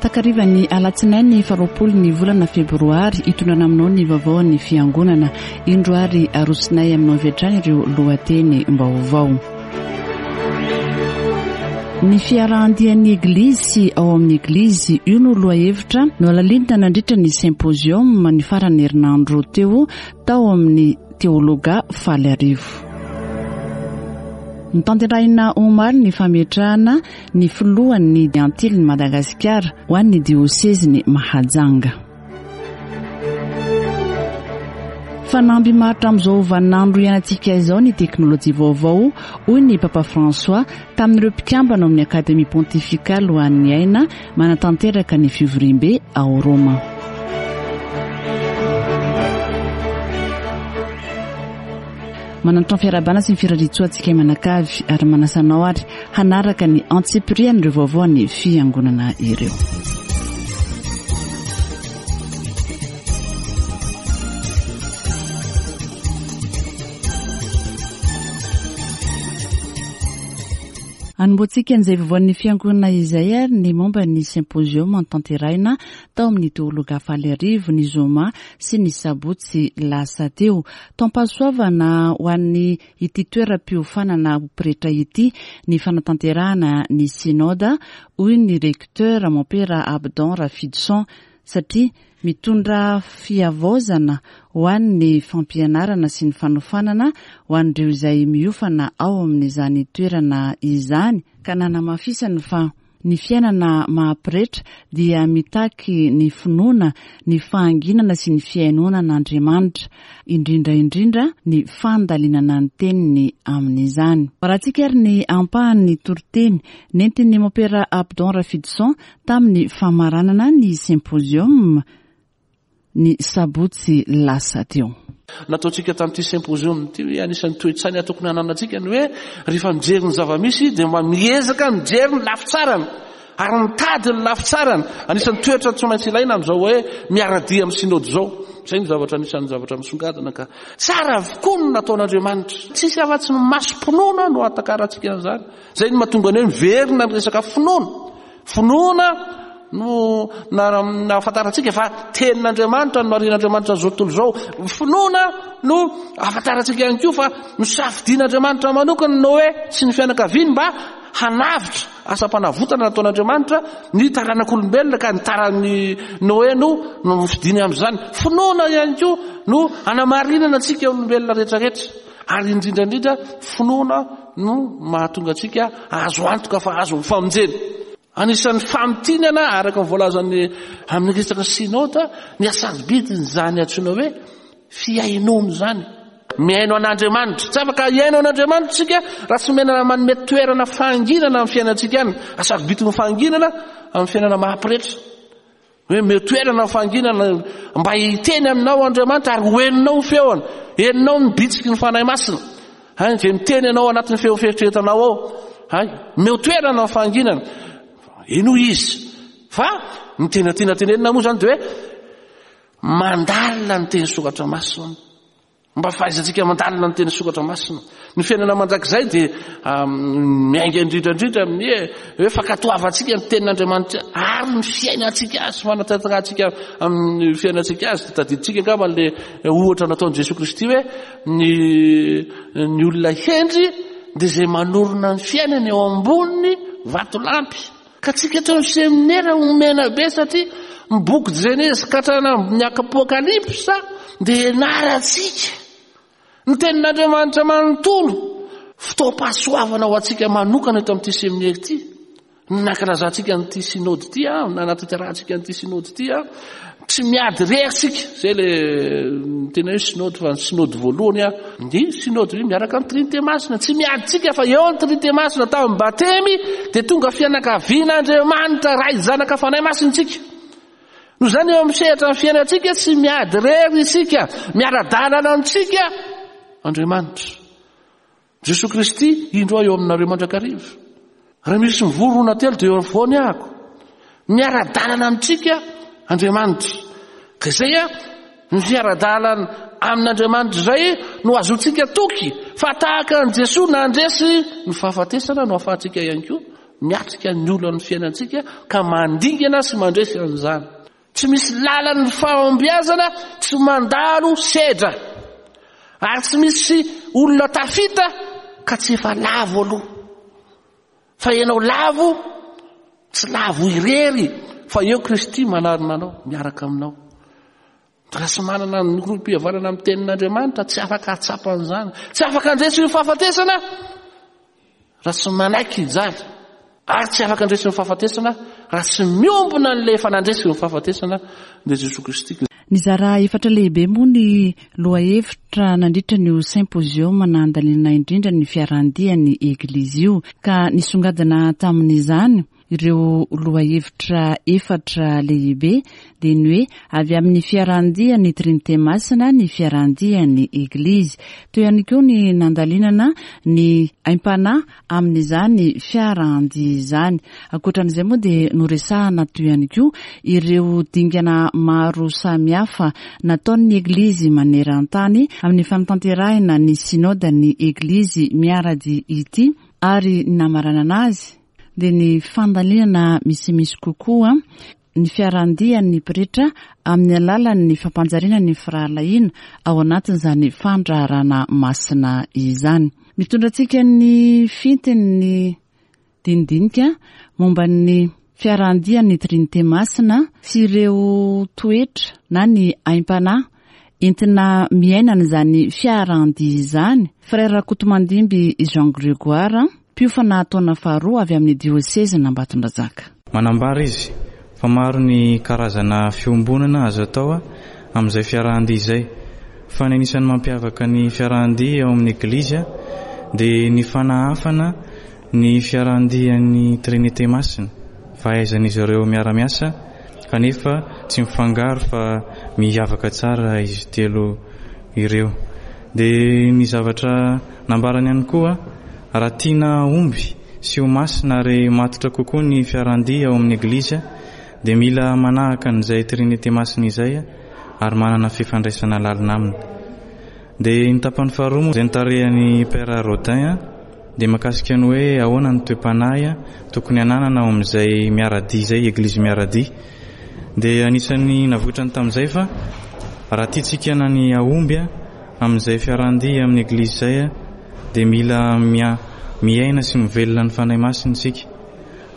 Takarivan'ny alatsinainy faharoapolo ny volana febroary hitondrana aminao ny vaovao an'ny fiangonana. Indro ary arosonay aminao avy hatrany ireo lohateny vaovao. Ny fiarahan-dian'ny Eglizy sy ao amin'ny Eglizy, io no lohahevitra nohalalinina nandritra ny symposium ny faran'ny herinandro teo tao amin'ny Teologa Faliarivo. Notanterahina omaly ny fametrahana ny filohan'ny Antilin'i Madagasikara ho an'ny diosezin'i Mahajanga. Fanamby maharitra amin'izao vaninandro iainantsika izao ny teknolojia vaovao, hoy ny Papa François tamin'ireo mpikambana ao amin'ny Akademia Pontifikaly ho an'ny Aina manatanteraka ny fivoriambe ao Roma. Manantona fiarahabana sy ny firariantsoa antsika mianakavy ary manasa anao ary hanaraka ny antsipirian'ireo vaovao an'ny fiangonana ireo. Anombohantsika an'izay vaovaon'ny fiangonana izay ary ny momba ny symposium notanterahina tao amin'ny Teologa Faliarivo ny zoma sy ny sabotsy lasa teo. Taom-pahasoavana ho an'ny ity toeram-piofanana ho pretra ity ny fanatanterahana ny Synoda, hoy ny Recteur Mompera Abdon Rafidison, satria mitondra fihavaozana ho an'ny fampianarana sy ny fanofanana ho an'ireo izay miofana ao amin'izany toerana izany, ka nanamafisany fa ny fiainana maha pretra dia mitaky ny finoana, ny fahanginana sy ny fihainoana an'Andriamanitra, indrindra indrindra ny fandalinana ny teniny amin'izany. Arahantsika ary ny ampahan'ny toriteny nentin'ny Mompera Abdon Rafidison tamin'ny famaranana ny symposium ny sabotsy lasa teo. Nataontsika tamin'ity symposium ity hoe anisan'ny toe-tsaina tokony hananantsika ny hoe rehefa mijery ny zava-misy dia mba miezaka mijery ny lafy tsarany ary mitady ny lafy tsarany. Anisan'ny toetra tsy maintsy ilaina amin'izao hoe miara-dia amin'ny synode izao. Izay no zavatra anisan'ny zavatra misongadina ka tsara avokoa ny nataon'Andriamanitra. Tsisy afa-tsy ny masom-pinoana no ahatakarantsika an'izany. Izay no mahatonga ny hoe miverina ny resaka finoana. Finoana no nahafantarantsika fa tenin'Andriamanitra no narian'Andriamanitra an'izao tontolo izao. Finoana no ahafantarantsika ihany koa fa nosafidian'Andriamanitra manokana Noe sy ny fianakaviany mba hanavotra asam-panavotana nataon'Andriamanitra ny taranak'olombelona ka ny taran'i Noe no nofidiny amin'izany. Finoana ihany koa no hanamarinana antsika olombelona rehetrarehetra ary indrindra indrindra finoana no mahatonga antsika azo antoka fa azo ny famonjena. Anisan'ny famintinana araka ny voalazan'ny amin'ny resaka synoda ny hasarobidin'izany antsoina hoe fihainoana izany. Mihaino an'Andriamanitra. Tsy afaka hihaino an'Andriamanitra isika raha tsy omena manome toerana fahanginana amin'ny fiainantsika any. Hasarobidin'ny fahanginana amin'ny fiainana maha-pretra. Hoe omeo toerana ny fahanginana mba hiteny aminao Andriamanitra ary ho henonao ny feony. Henonao ny bitsiky ny Fanahy Masina. Hay, izay miteny anao anatin'ny feo fieritreretanao ao. Hay, omeo toerana ny fahanginana. Henoy izy. Fa ny tena tiana tenenina moa izany dia hoe mandalina ny teny soratra masina. Mba fahaizantsika mandalina ny teny soratra masina. Ny fiainana mandrakizay dia miainga indrindra indrindra amin'ny hoe fankatoavantsika ny tenin'Andriamanitra ary ny fiainantsika azy, fanatanterahantsika amin'ny fiainantsika azy. Tadidintsika angamba ilay ohatra nataon'i Jesoa Kristy hoe ny ny olona hendry dia izay manorina ny fiainany eo ambony vatolampy. Ka tsika eto amin'ny seminera omena be satria ny boky Jenezy ka hatrany amin'ny Apokalypsa dia ianarantsika ny tenin'Andriamanitra manontolo. Fotoam-pahasoavana ho antsika manokana eto amin'ity seminera ity. Ny nankalazantsika an'ity synode ity, nanatanterahantsika an'ity synode ity. Tsy miady irery isika, izay le tena hoe synode fa ny synode voalohany a, ny synode miaraka amin'ny Trinite Masina. Tsy miady tsika fa eo ny Trinite Masina tamin'ny batemy dia tonga fianakavian'Andriamanitra Ray Zanaka Fanahy Masina isika. Noho izany eo amin'ny sehatra ny fiainantsika tsy miady irery isika, miara-dalana amintsika Andriamanitra. Jesoa Kristy, indro aho eo aminareo mandrakariva. Raha misy mivory roa na telo dia eo afovoany ahako. Miara-dalana amintsika Andriamanitra. Ka izay a, ny fiara-dalana amin'Andriamanitra izay no azontsika toky fa tahaka an'i Jesoa nandresy ny fahafatesana no ahafahantsika ihany koa. miatrika ny olan'ny fiainantsika ka mandingana sy mandresy an'izany. Tsy misy lalan'ny fahombiazana tsy mandalo sedra. Ary tsy misy olona tafita ka tsy efa lavo aloha. Fa ianao lavo, tsy lavo irery, fa eo Kristy manarina anao, miaraka aminao. Raha tsy manana ny rohim-pihavanana amin'ny tenin'Andriamanitra, tsy afaka hahatsapa an'izany. Tsy afaka handresy ny fahafatesana raha tsy manaiky hijaly. Ary tsy afaka handresy ny fahafatesana raha tsy miombona an'ilay efa nandresy ny fahafatesana, dia Jesoa Kristy. Nizara efatra lehibe moa ny lohahevitra nandritra an'io symposium nandaniana indrindra ny fiarahan-dian'ny Eglizy io, ka nisongadina tamin'izany Ireo lohahevitra efatra lehibe dia ny hoe avy amin'ny fiarahan-dian'ny Trinite Masina ny fiarahan-dian'ny Eglizy. Teo ihany koa ny nandalinana ny aim-panahy amin'izany fiarahan-dia izany. Ankoatra an'izay moa dia noresahana teo ihany koa ireo dingana maro samihafa nataon'ny Eglizy maneran-tany amin'ny fanatanterahina ny Synodan'ny Eglizy miara-dia ity ary ny namaranana azy dia ny fandalinana misimisy kokoa ny fiarahan-dian'ny pretra amin'ny alalan'ny fampanjariana ny firahalahiana ao anatin'izany fandraharana masina izany. Mitondra antsika ny fintin'ny dinidinika momba ny fiarahan-dian'ny Trinite Masina sy ireo toetra na ny aim-panahy entina miaina an'izany fiarahan-dia izany, Frère Rakotomandimby Jean Grégoire, mpiofana taona faharoa avy amin'ny diosezin'Ambatondrazaka. Manambara izy fa maro ny karazana fiombonana azo atao amin'izay fiarahan-dia izay, fa ny anisan'ny mampiavaka ny fiarahan-dia ao amin'ny Eglizy dia ny fanahafana ny fiarahan-dian'ny Trinite Masina, fahaizan'izy ireo miara-miasa kanefa tsy mifangaro fa miavaka tsara izy telo ireo. Dia ny zavatra nambarany ihany koa, raha tiana hahomby sy ho masina ary matotra kokoa ny fiarahan-dia ao amin'ny Eglizy dia mila manahaka an'izay Trinite Masina izay ary manana fifandraisana lalina aminy. Dia ny tapany faharoa moa izay notarihan'i Père Rodin dia mahakasika ny hoe ahoana ny toe-panahy tokony hananana ao amin'izay miara-dia izay, Eglizy miara-dia. Dia anisan'ny navoitrany tamin'izay fa raha tiantsika na ny hahomby amin'izay fiarahan-dia amin'ny Eglizy izay dia mila miaina sy mivelona ny Fanahy Masina isika.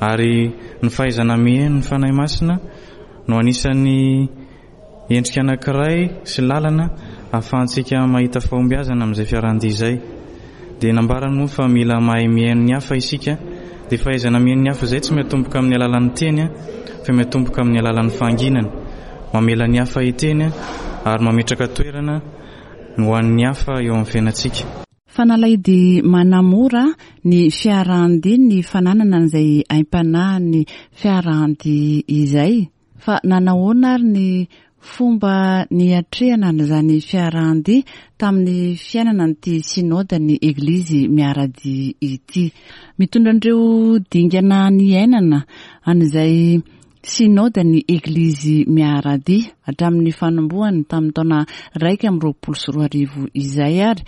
Ary ny fahaizana mihaino ny Fanahy Masina no anisan'ny Endrika anankiray sy lalana ahafahantsika mahita fahombiazana amin'izay fiarahan-dia izay. Dia nambarany moa fa mila mahay mihaino ny hafa isika. Dia fahaizana mihaino ny hafa izay tsy miatomboka amin'ny alalan'ny teny fa miatomboka amin'ny alalan'ny fahanginana. Mamela ny hafa hiteny ary mametraka toerana ho an'ny hafa eo amin'ny fiainantsika. Fanalahidy manamora ny fiarahan-dia ny fananana an'izay aim-panahin'ny fiarahan-dia izay. Fa nanahoana ary ny fomba niatrehana an'izany fiarahan-dia tamin'ny fiainana an'ity Synodan'ny Eglizy miara-dia ity? Mitondra an'ireo dingana niainana an'izay Synodan'ny Eglizy miara-dia hatramin'ny fanombohany tamin'ny taona 2021 izay ary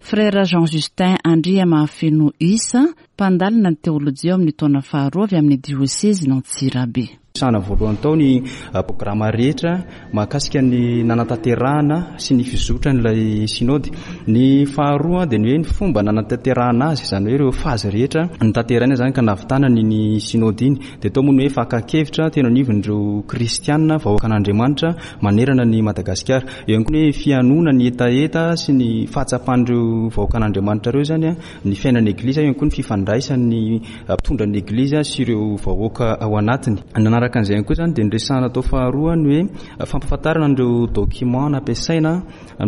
Frère Jean Justin Andriamahafeno Issa, mpandalina ny teolojia ao amin'ny taona faharoa avy amin'ny diosezin'Antsirabe. Resahana voalohany tao ny programa rehetra mahakasika ny nanatanterahana sy ny fizotran'ilay synode. Ny faharoa dia ny hoe ny fomba nanatanterahana azy, izany hoe ireo phase rehetra notanterahina izany ka nahavitana an'iny synode iny. Dia tao moa ny hoe fakan-kevitra teny anivon'ireo kristiana vahoakan'Andriamanitra manerana an'i Madagasikara. Eo ihany koa ny hoe fihainoana ny hetaheta sy ny fahatsapan'ireo vahoakan'Andriamanitra ireo izany ny fiainan'ny Eglizy, eo ihany koa ny fifandraisan'ny mpitondra ny Eglizy sy ireo vahoaka ao anatiny. Nanaraka an'izay ihany koa izany dia niresahana tao faharoa ny hoe fampahafantarana an'ireo document nampiasaina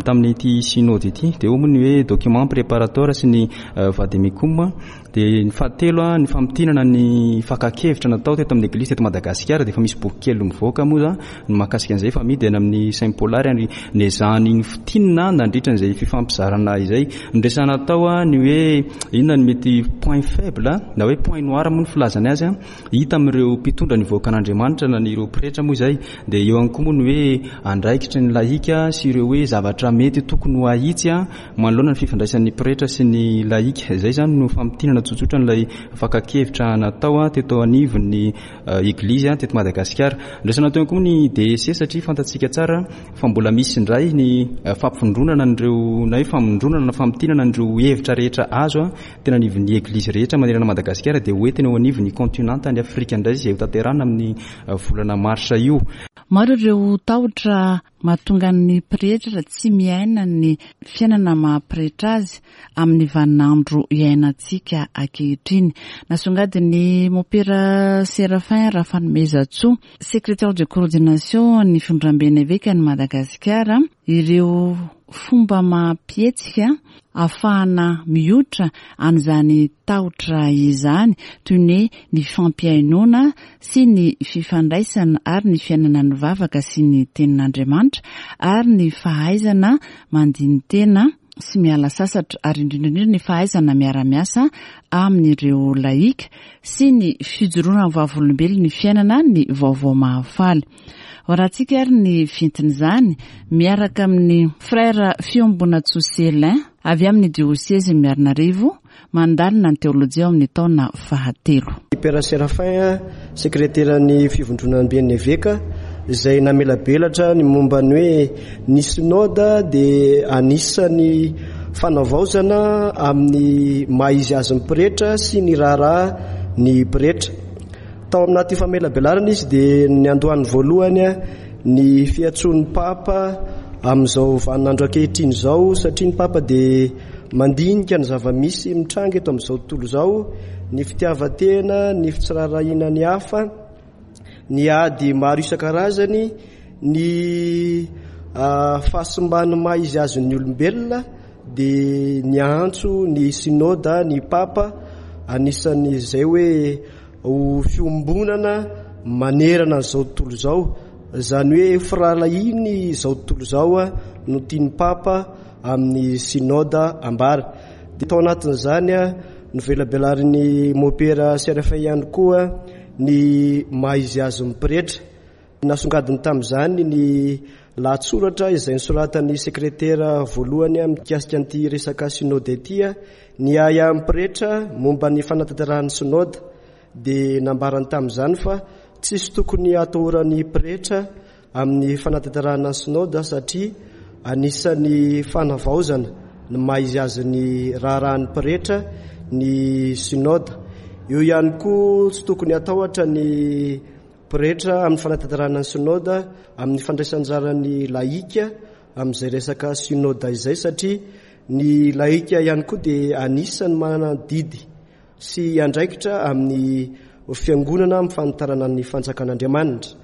tamin'ity synode ity. Dia eo moa ny hoe document préparatoire sy ny vademecum. Dia ny fahatelo ny famintinana ny fakan-kevitra natao teto amin'ny Eglizy teto Madagasikara. Dia efa misy boky kely mivoaka moa ny mahakasika an'izay efa amidy any amin'ny Saint Paul ary nezahany nofintinina nandritra an'izay fifampizarana izay. Noresahana tao ny hoe inona no mety point faible na hoe point noir moa ny filazany azy hita amin'ireo mpitondra ny vahoakan'Andriamanitra na ny ireo pretra moa izay. Dia eo ihany koa moa ny hoe andraikitry ny lahika sy ireo hoe zavatra mety tokony ho ahitsy manoloana ny fifandraisan'ny pretra sy ny lahika. Izay izany no famintinana. tsotsotra an'ilay fakan-kevitra natao teto anivon'ny Eglizy teto Madagasikara. Ndraisana teo koa ny DEC satria fantatsika tsara fa mbola misy indray ny fampivondronana an'ireo na hoe famondronana na famintinana an'ireo hevitra rehetra azo tena anivon'ny Eglizy rehetra manerana Madagasikara dia hoentina eo anivon'ny kontinanta any Afrika indray izay hotanterahina amin'ny volana marsa io. Maro ireo tahotra mahatonga ny pretra tsy miaina ny fiainana maha pretra azy amin'ny vaninandro iainantsika ankehitriny. Nasongadin'ny Mompera Séraphin Rafanomezantsoa, Secrétaire de coordination ny Fivondramben'ny Evekan'i Madagasikara, ireo fomba amam-pihetsika ahafahana mihoitra an'izany tahotra izany toy ny hoe ny fifampihainoana sy ny fifandraisana ary ny fiainana ny vavaka sy ny tenin'Andriamanitra ary ny fahaizana mandini-tena sy miala sasatra ary indrindra indrindra ny fahaizana miara-miasa amin'ireo lahika sy ny fijoroana ho vavolombelon'ny fiainana ny vaovao mahafaly. Hoarahantsika ary ny fintin'izany miaraka amin'ny Frère Fiombonatsoa Celin avy amin'ny Diosezy Miarinarivo mandalina ny teolojia ao amin'ny taona fahatelo. I Père Séraphin, sekreteran'ny Fivondronamben'ny Eveka, izay namelabelatra ny momba ny hoe ny Synoda dia anisan'ny fanavaozana amin'ny maha izy azy ny pretra sy ny raharaha ny pretra. Tao anaty famelabelarana izy dia niandohany voalohany ny fiantsoan'ny Papa amin'izao vaninandro ankehitriny izao satria ny Papa dia Mandinika ny zava-misy mitranga eto amin'izao tontolo izao, ny fitiavan-tena, ny fitsirarahiana ny hafa, ny ady maro isan-karazany, ny fahasimban'ny maha izy azy ny olombelona, dia niantso ny synoda ny papa, anisan'izay hoe ho fiombonana manerana an'izao tontolo izao, izany hoe firahalahiany izao tontolo izao no tian'ny papa amin'ny Synoda ambara. Dia tao anatin'izany novelabelarin'ny Mopera Séraphin ihany koa ny maha izy azy ny pretra. Nasongadiny tamin'izany ny lahatsoratra izay nosoratan'ny sekretera voalohany mikasika an'ity resaka Synoda ity, ny ahiahin'ny pretra momba ny fanatanterahan'ny Synoda. Dia nambarany tamin'izany fa tsisy tokony hatahoran'ny pretra amin'ny fanatanterahana ny Synoda satria anisan'ny fanavaozana ny maha izy azy ny raharahan'ny pretra ny Synoda. Eo ihany koa tsy tokony hatahotra ny pretra amin'ny fanatanterahana ny Synoda amin'ny fandraisanjaran'ny lahika amin'izay resaka Synoda izay satria ny lahika ihany koa dia anisan'ny manana didy sy andraikitra amin'ny fiangonana amin'ny fanitarana ny fanjakan'Andriamanitra.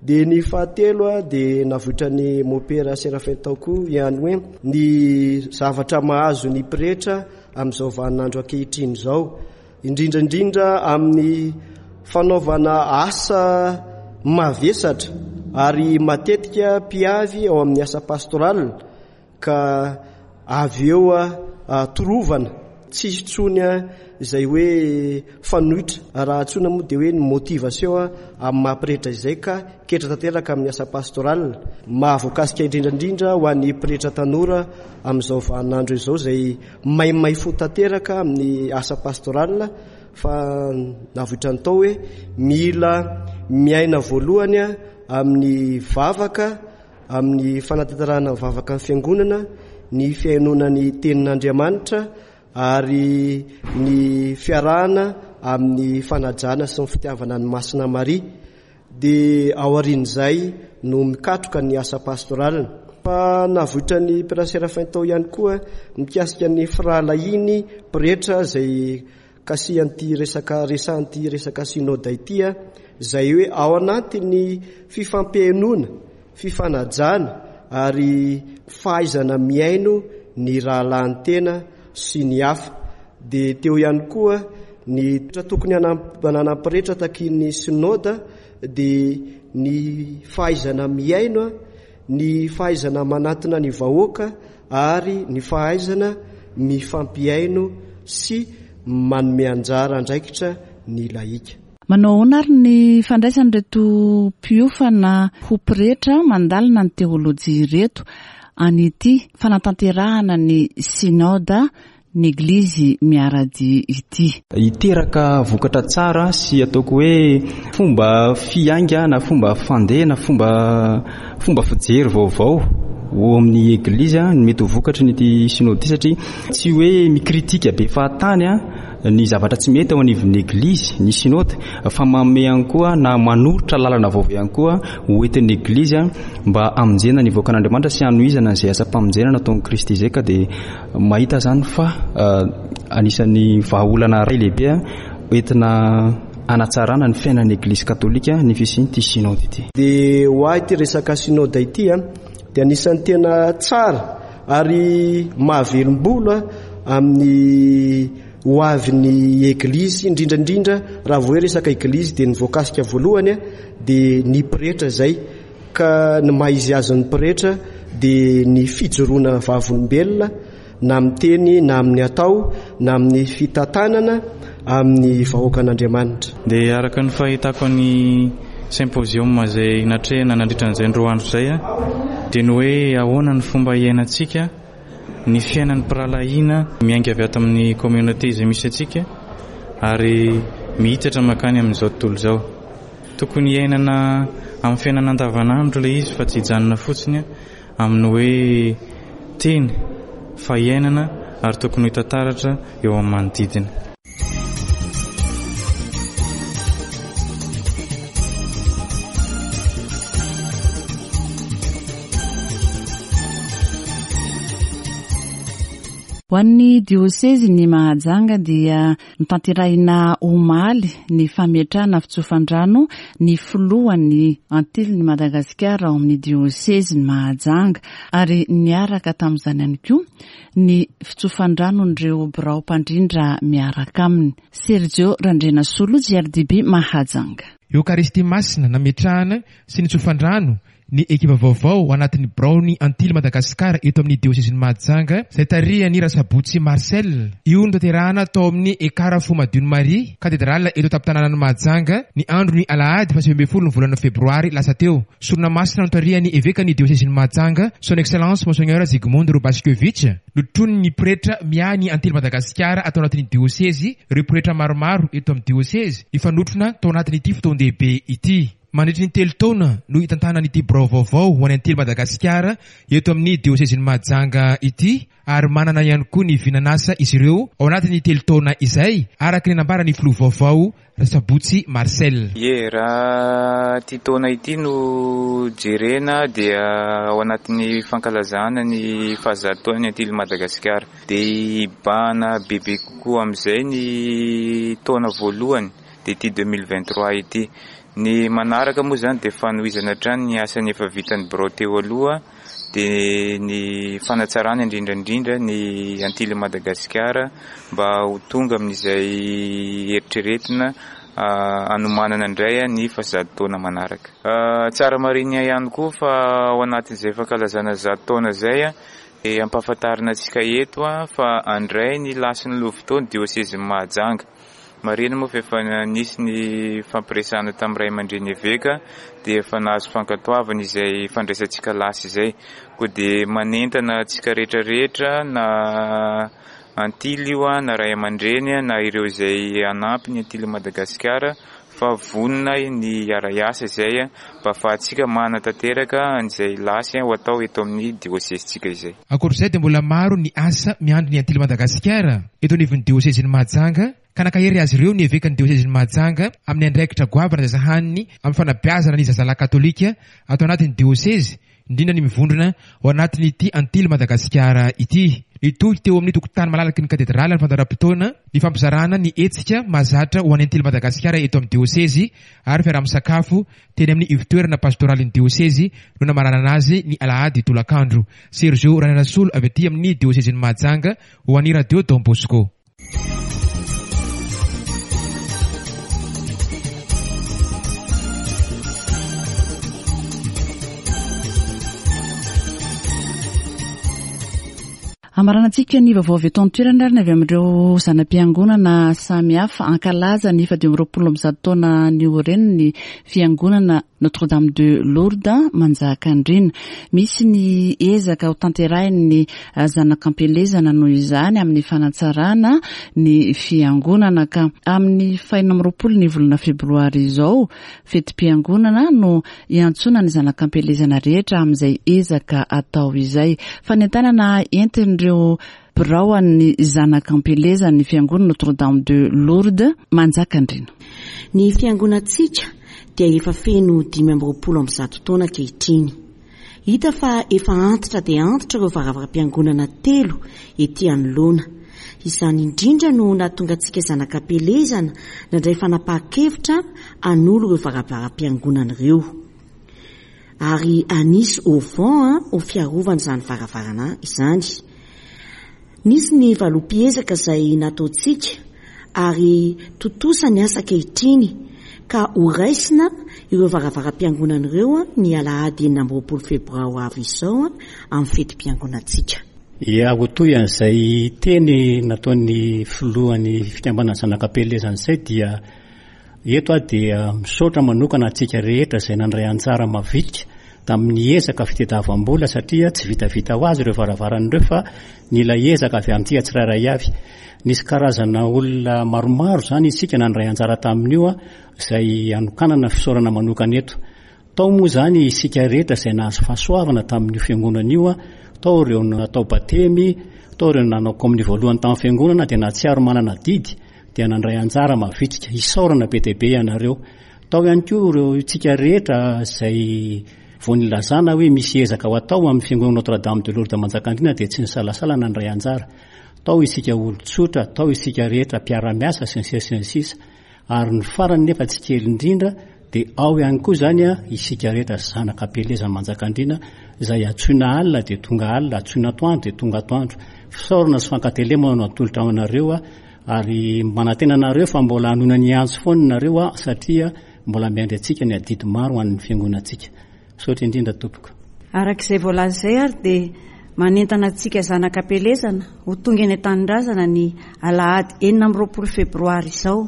Dia ny fahatelo dia navoitran'i Mopera Séraphin tao koa ihany hoe ny zavatra mahazo ny pretra amin'izao vaninandro ankehitriny izao, indrindra indrindra amin'ny fanaovana asa mavesatra ary matetika mpiavy ao amin'ny asa pastoral Ka avy eo torovana, tsy hisy intsony izay hoe fanoitra, raha antsoina moa dia hoe ny motivation amin'ny maha pretra izay ka ketra tanteraka amin'ny asa pastoral. Mahavoakasika indrindra indrindra ho an'ny pretra tanora amin'izao vaninandro izao izay maimay fo tanteraka amin'ny asa pastoral fa navoitrany tao hoe mila miaina voalohany amin'ny vavaka, Amin'ny fanatanterahana ny vavaka ny Fiangonana, ny fihainoana ny Tenin'Andriamanitra ary ny fiarahana amin'ny fanajana sy ny fitiavana an'i Masina Maria, dia aorian'izay no mikatroka ny asa pastoraliny. Fa navoitran'ny Père Séraphin tao ihany koa mikasika ny firahalahiany pretra izay Kasihan'ity resaka resahan'ity resaka synoda ity izay hoe ao anatin'ny fifampihainoana, fifanajana ary fahaizana mihaino ny rahalahin'ny tena sy ny hafa. Dia teo ihany koa ny toetra tokony hananan'ny pretra takian'ny synoda dia ny fahaizana mihaino, ny fahaizana manatona ny vahoaka ary ny fahaizana mifampihaino sy manome anjara andraikitra ny lahika. Manao ahoana ary ny fandraisan'ireto mpiofana ho pretra mandalina ny teolojia ireto an'ity fanatanterahana ny Synoda? ny Eglizy miara-dia ity. Hiteraka vokatra tsara sy ataoko hoe fomba fiainga na fomba fandeha na fomba fomba fijery vaovao ho amin'ny Eglizy ny mety ho vokatry ny ity Synode ity satria tsy hoe mikritika be fahatany ny zavatra tsy mety ao anivon'ny Eglizy ny Synode fa manome ihany koa na manoritra lalana vaovao ihany koa ho entin'ny Eglizy mba hamonjena ny vahoakan'Andriamanitra sy hanohizana izay asam-pamonjena nataon'i Kristy izay ka dia Mahita izany fa anisan'ny vahaolana iray lehibe entina hanatsarana ny fiainan'ny Eglizy Katolika ny fisian'ity Synode ity. Dia ho ahy ity resaka Synode ity dia anisan'ny tena tsara ary mahavelom-bolo amin'ny ho avin'ny Eglizy, indrindra indrindra raha vao hoe resaka Eglizy dia ny voakasika voalohany dia ny pretra izay. Ka ny maha izy azy ny pretra dia ny fijoroana vavolombelona na amin'ny teny na amin'ny atao na amin'ny fitantanana amin'ny vahoakan'Andriamanitra. Dia araka ny fahitako ny symposium izay natrehina nandritra an'izay roa andro izay dia ny hoe ahoana ny fomba hiainantsika ny fiainan'ny mpirahalahiana miainga avy ato amin'ny communauté izay misy antsika ary mihitatra mankany amin'izao tontolo izao. Tokony hiainana amin'ny fiainana andavanandro ilay izy fa tsy hijanona fotsiny amin'ny hoe teny fa hiainana ary tokony ho hita taratra eo amin'ny manodidina. Ho an'ny diosezin'i Mahajanga dia Notanterahina omaly ny fametrahana fitsofan-drano ny filohan'ny Antilin'i Madagasikara ao amin'ny diosezin'i Mahajanga ary niaraka tamin'izany ihany koa ny fitsofan-dranon'ireo birao mpandrindra miaraka aminy. Sergio Randrianasolo, JRDB Mahajanga. Eokaristia Masina nametrahana sy nitsofan-drano ny ekipa vaovao ao anatin'ny biraon'ny Antily Madagascar eto amin'ny diosezin'i Mahajanga izay tarihan'i Rasabotsy Marcel. Io notanterahana tao amin'ny Ekara Fo Madion'i Maria, Katedrala eto an-tampon-tanànan'i Mahajanga, ny andron'ny alahady faha 19 ny volana febroary lasa teo. Sorona masina notarihan'ny evekan'ny diosezin'i Mahajanga, Son Excellence Monseigneur Zygmunt Robaszkiewicz, notronin'ny pretra miahy ny Antily Madagasikara ato anatin'ny diosezy, ireo pretra maromaro eto amin'ny diosezy, nifanotrona tao anatin'ity fotoan-dehibe ity. Mandritry ny telo taona no hitantanany ity birao vaovao ho an'ny Antily Madagasikara eto amin'ny diosezin'i Mahajanga ity ary manana ihany koa ny vinan'asa izy ireo ao anatin'ny telo taona izay, araka ny nambaran'ny filoha vaovao Rasabotsy Marcel. Ie, raha ity taona ity no jerena dia ao anatin'ny fankalazana ny fahazato taonan'ny Antily Madagasikara. Dia hibahana bebe kokoa amin'izay ny taona voalohany dia ity 2023 ity. Ny manaraka moa izany dia fanohizana hatrany ny asan'ny efa vitan'ny birao teo aloha dia ny fanatsarana indrindra indrindra ny Antilles Madagasikara mba ho tonga amin'izay eritreretina hanomanana indray ny fahazato taona manaraka. Tsara marihina ihany koa fa ao anatin'izay fankalazana zato taona izay dia ampahafantarina antsika eto fa handray ny lasin'ny lovitao ny diosezin'i Mahajanga. Marihina moa fa efa nisy ny fampiresahana tamin'ny ray aman-dreny eveka dia efa nahazo fankatoavana izay fandraisantsika lasy izay. Koa dia manentana antsika rehetra rehetra na antily io na ray aman-dreny na ireo izay hanampy ny antily Madagasikara fa vonona ny hiara-hiasa izay mba ahafahantsika manatanteraka an'izay lasy ho atao eto amin'ny diosezintsika izay. Ankoatra izay dia mbola maro ny asa miandry ny Antily Madagasikara eto anivon'ny diosezin'i Mahajanga ka nankahery azy ireo ny evekan'ny diosezin'i Mahajanga amin'ny andraikitra goavana izay sahaniny amin'ny fanabeazana ny zazalahy katolika ato anatin'ny diosezy indrindra ny mivondrona ao anatin'ity Antily Madagasikara ity. Nitohy teo amin'ny tokotany malalaky ny katedraly ny fandaharam-potoana nifampizarana ny hetsika mahazatra ho an'ny Antily Madagasikara eto amin'ny diosezy ary fiaraha-misakafo teny amin'ny ivon-toerana pastoralin'ny diosezy no namaranana azy ny alahady tolakandro. Sergio Randrianasolo avy aty amin'ny diosezin'i Mahajanga ho an'ny Radio Don Bosco. Hamaranantsika ny vaovao avy eto an-toerana ary ny avy amin'ireo zana-piangonana samihafa. Hankalaza ny 125 taona nioren'ny fiangonana Notre Dame de Lourdes Manjakandriana. Misy ny ezaka ho tanterahin'ny zanak'ampielezana noho izany amin'ny fanatsarana ny fiangonana ka amin'ny fahenina amby roapolo ny volana febroary izao, fetim-piangonana no Iantsoana ny zanak'ampielezana rehetra amin'izay ezaka atao izay. Fanentanana entin'ireo birao an'ny zanak'ampielezan'ny Fiangonana Notre Dame de Lourdes Manjakandriana. Ny fiangonantsika dia efa feno 125 taona ankehitriny. Hita fa efa antitra dia antitra ireo varavaram-piangonana telo ety anoloana. Izany indrindra no nahatonga antsika zanak'ampielezana nandray fanapahan-kevitra hanolo ireo varavaram-piangonana ireo. Ary hanisy auvent ho fiarovana izany varavarana izany. Nisy ny valopy ezaka izay nataontsika ary tontosa ny asa ankehitriny ka ho raisina ireo varavaram-piangonana ireo ny alahady 26 febroary ho avy izao amin'ny fetim-piangonantsika. Ia, ho toy an'izay teny nataon'ny filohan'ny fikambanana Zanak'Ampielezana izay dia Eto aho dia misaotra manokana antsika rehetra izay nandray anjara mavitrika tamin'ny ezaka fitadiavam-bola satria tsy vitavita ho azy ireo varavarana ireo fa nila ezaka avy amintsika tsirairay avy. Nisy karazana olona maromaro izany isika nandray anjara tamin'io izay anokanana fisaorana manokana eto. Tao moa izany isika rehetra izay nahazo fahasoavana tamin'io fiangonana io, tao ireo natao batemy, tao ireo nanao kominio voalohany tamin'ny fiangonana dia nahatsiaro manana adidy dia nandray anjara mavitrika. Isaorana be dia be ianareo. Tao ihany koa ireo isika rehetra izay vao nilazana hoe misy ezaka ho atao amin'ny fiangonana Notre Dame de Lourdes Manjakandriana dia tsy nisalasala nandray anjara. Tao isika olon-tsotra, tao isika rehetra mpiara-miasa sy ny sisa sy ny sisa. Ary ny farany nefa tsy kely indrindra dia ao ihany koa izany isika rehetra zanaka am-pielezana Manjakandriana izay antsoina alina dia tonga alina, antsoina atoandro dia tonga atoandro. Fisaorana sy fankatelemana no atolotra ho anareo ary manantena anareo fa mbola hanoina ny antso foana nareo satria mbola miandry antsika ny adidy maro ho an'ny fiangonantsika. Misaotra indrindra tompoko. Araka izay voalaza izay ary dia manentana antsika zanaka am-pielezana ho tonga eny an-tanindrazana ny alahady 26 febroary izao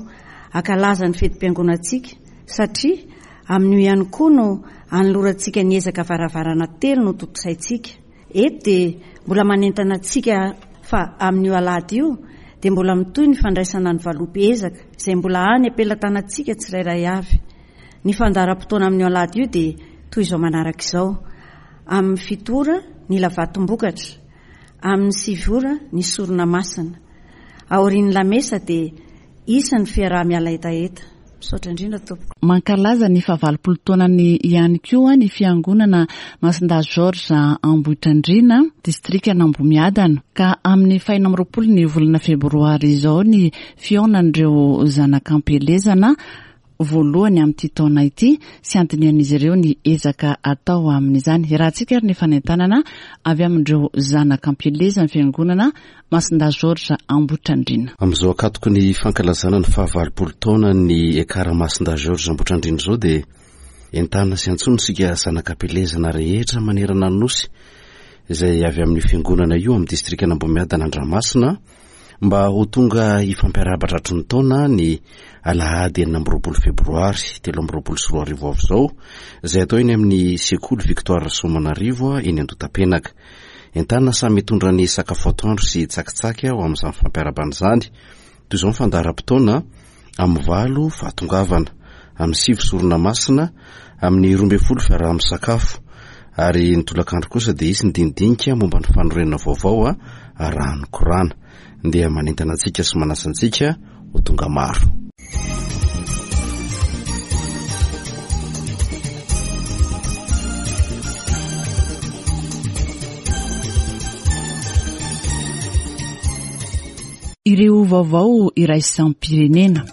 hankalaza ny fetim-piangonantsika satria amin'io ihany koa no hanolorantsika ny ezaka varavarana telo notontosaintsika. Eto dia mbola manentana antsika fa amin'io alahady io dia mbola mitohy ny fandraisana ny valopy ezaka izay mbola any am-pelatanantsika tsirairay avy. Ny fandaharam-potoana amin'io alahady io dia toy izao manaraka izao, Amin'ny fito ora ny lavatom-bokatra, amin'ny sivy ora ny sorona masina. Aorian'ny lamesa dia hisy ny fiaraha-miala hetaheta. Misaotra indrindra tompoko. Mankalaza ny fahavalopolo taonany ihany koa ny fiangonana Masindahy Georges Ambohitrandriana, distrikan'Ambohimiadana, ka amin'ny fahenina amby roapolo ny volana febroary izao ny fihaonan'ireo zanak'ampielezana voalohany amin'ity taona ity sy handinihan'izy ireo ny ezaka atao amin'izany. Iarahantsika ary ny fanentanana avy amin'ireo zanak'ampielezan'ny fiangonana Masindahy Georges Ambohitrandriana. Amin'izao ankatoky ny fankalazana ny fahavalopolo taonan'ny Ekar Masindahy Georges Ambohitrandriana izao dia entanina sy antsoina isika zanak'ampielezana rehetra manerana ny Nosy izay avy amin'io fiangonana io amin'ny distrikan'Ambohimiadana Andramasina Mba ho tonga hifampiarahaba tratry ny taona ny alahady 26 febroary 2023 avy izao, izay atao eny amin'ny sekoly Victoire Rasoamanarivo eny Andotapenaka. Entanina samy hitondra ny sakafo atoandro sy tsakitsaky ho amin'izany fampiarahabana izany. Toy izao ny fandaharam-potoana. Amin'ny valo fahatongavana, amin'ny sivy sorona masina, amin'ny 12 fiaraha-misakafo, ary ny tolakandro kosa dia hisy ny dinidinika momba ny fanorenana vaovao arahan'ny korana. Ndeha manentana antsika sy manasa antsika ho tonga maro. Ireo vaovao iraisam-pirenena.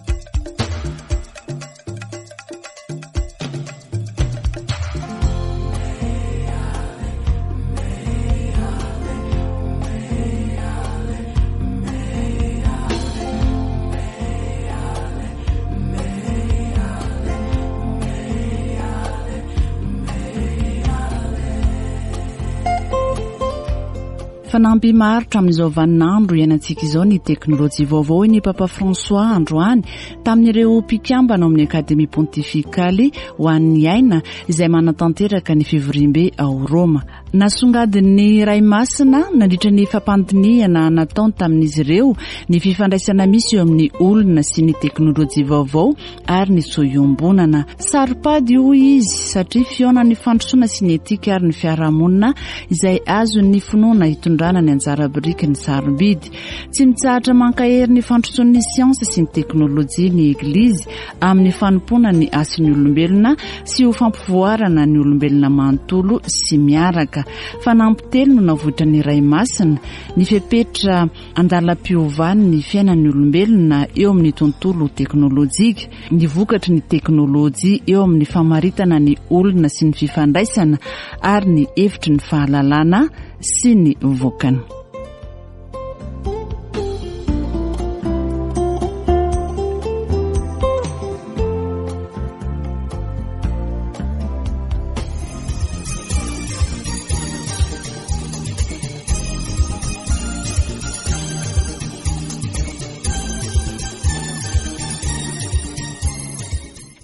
Fanamby maharitra amin'izao vaninandro iainantsika izao ny teknolojia vaovao hoy ny Papa François androany tamin'ireo mpikambana ao amin'ny Akademia Pontifikaly ho an'ny aina izay manatanteraka ny fivoriambe ao Roma. Nasongadin'ny Ray Masina nandritra ny fampandinihana nataony tamin'izy ireo ny fifandraisana misy eo amin'ny olona sy ny teknolojia vaovao ary ny zo iombonana. Saro-pady hoy izy satria fihaonan'ny fandrosoana sy ny etika ary ny fiarahamonina izay azon'ny finoana hitondrana ny anjara birikiny sarobidy. Tsy mitsahatra mankahery ny fandrosoan'ny siansa sy ny teknolojia ny Eglizy amin'ny fanompoana ny hasin'ny olombelona sy ho fampivoarana ny olombelona manontolo sy miaraka. Fanampy telo no navoitran'ny Ray Masina, ny fepetra andalam-piovan'ny fiainan'ny olombelona eo amin'ny tontolo teknolojika, ny vokatry ny teknolojia eo amin'ny famaritana ny olona sy ny fifandraisana ary ny hevitry ny fahalalana sy ny vokany.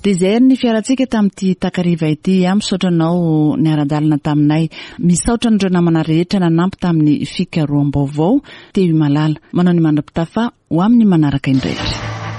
Dia izay ary ny fiarantsika tamin'ity takariva ity. Ah, misaotra anao niara-dalana taminay. Misaotra an'ireo namana rehetra nanampy tamin'ny fikaroham-baovao. Teo i Malala. Manao ny mandra-pitafa ho amin'ny manaraka indray.